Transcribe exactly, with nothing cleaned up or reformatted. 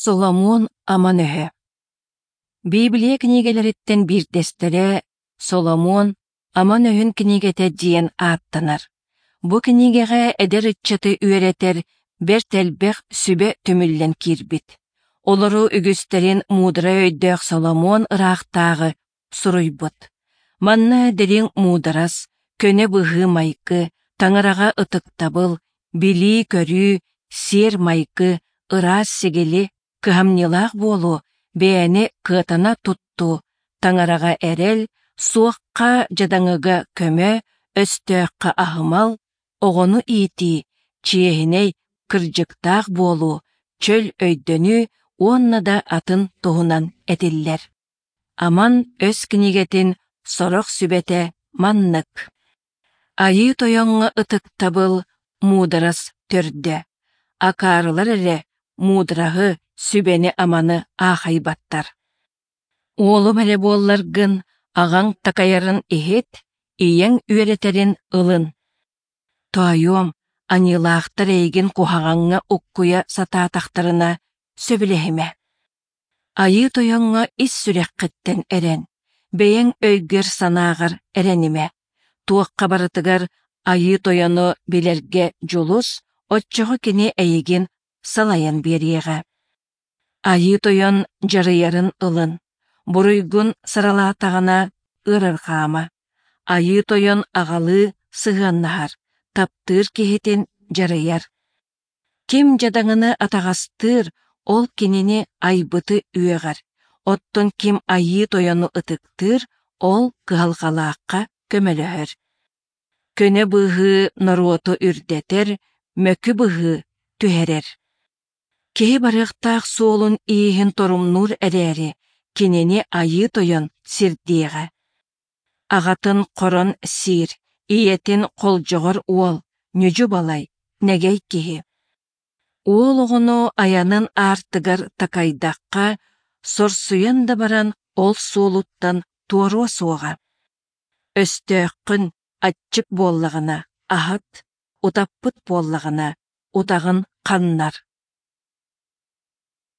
Соломуон аман өһө Библия кинигэлэриттэн биирдэстэрэ Соломуон аман өһүн кинигэтэ диэн ааттанар. Бу кинигэҕэ эдэр ыччаты үөрэтэр бэрт элбэх сүбэ түмүллэн киирбит. Олору үгүстэрин муударай өйдөөх Соломуон ыраахтааҕы суруйбут. Манна дириҥ муударас, көнө быһыы-майгы, таҥараҕа ытыктабыл, билии-көрүү, сиэр-майгы, ыраас сигили, кыһамньылаах буолуу, бэйэни кыатана туттуу, таҥараҕа эрэл, суохха дьадаҥыга көмө, өстөөххө аһымал, оҕону иитии, чиэһинэй, кырдьыктаах буолуу, чөл өйдөнүү уонна да атын туһунан этиллэр. Аман өс кинигэтин сорох сүбэтэ маннык. Айыы Тойоҥҥо ытыктабыл муударас төрдө. Акаарылар эрэ муудараһы, сүбэни-аманы аахайбаттар. Уолум эрэ буолларгын, аҕаҥ такайарын иһит, ийэҥ үөрэтэрин ылын. Тоойуом, аньыылаахтар эйигин куһаҕаҥҥа уккуйа сатаатахтарына, сөбүлэһимэ. Айыы Тойоҥҥо ис сүрэххиттэн эрэн, бэйэҥ өйгөр-санааҕар эрэнимэ. Туохха барытыгар Айыы Тойону билэргэ дьулус, оччоҕо кини эйигин салайан биэриэҕэ. Айыы Тойон дьарыйарын ылын, буруйгун саралаатаҕына ыарырҕаама. Айыы Тойон аҕалыы сыһыаннаһар, таптыыр киһитин дьарыйар. Ким дьадаҥыны атаҕастыыр, ол кинини айбыты үөҕэр, оттон ким Айыы Тойону ытыктыыр, ол кыһалҕалаахха көмөлөһөр. Көнө быһыы норуоту үрдэтэр, мөкү быһыы түһэрэр. Киһи барыахтаах суолун ииһин торумнуур эрээри, кинини Айыы Тойон сирдиэҕэ. Аҕатын хорон сиир, ийэтин холдьоҕор уол, ньүдьү-балай, нэгэй киһи. Уол оҕону айанын аартыгар такайдахха, сорсуйан да баран ол суолуттан туоруо суоҕа. Өстөөххүн аччык буоллаҕына аһат, утаппыт буоллаҕына утаҕын ханнар.